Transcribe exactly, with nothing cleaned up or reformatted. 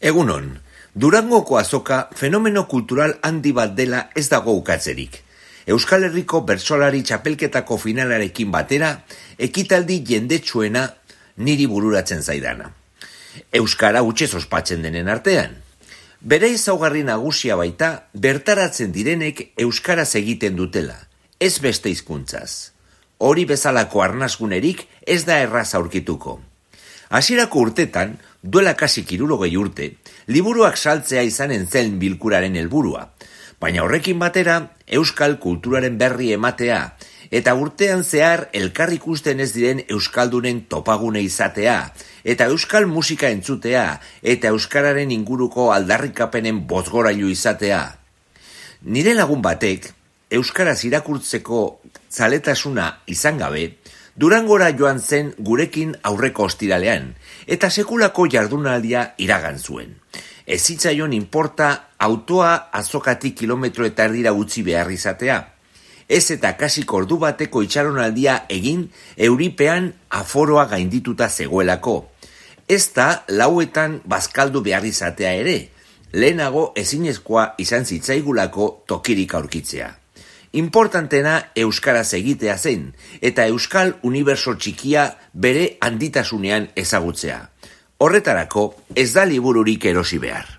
Egunon, Durangoko azoka fenomeno kultural handi bat dela ez dago ukatzerik. Euskal Herriko bertsolari txapelketako finalarekin batera, ekitaldi jendetsuena niri bururatzen zaidana. Euskara hutsez ospatzen denen artean. Bere ezaugarri nagusia baita, bertaratzen direnek euskaraz egiten dutela, ez beste hizkuntzaz. Hori bezalako arnasgunerik ez da erraz aurkituko. Hasierako urtetan, duela kasi hirurogei urte, liburuak saltzea izanen zen bilkuraren helburua, baina horrekin batera, euskal kulturaren berri ematea, eta urtean zehar elkar ikusten ez diren euskaldunen topagune izatea, eta euskal musika entzutea, eta euskararen inguruko aldarrikapenen bozgorailu izatea. Nire lagun batek, euskaraz irakurtzeko zaletasuna izan gabe, Durangora joan zen gurekin aurreko ostiralean, eta sekulako jardunaldia iragan zuen. Ez zitzaion inporta autoa azokatik kilometro eta erdira utzi behar izatea. Ez eta kasik ordu bateko itxaronaldia egin euripean aforoa gaindituta zegoelako. Ez da lauetan bazkaldu behar izatea ere, lehenago ezinezkoa izan zitzaigulako tokirik aurkitzea. Importantena euskaraz egitea zen, eta euskal uniberso txikia bere handitasunean ezagutzea. Horretarako ez da libururik erosi behar.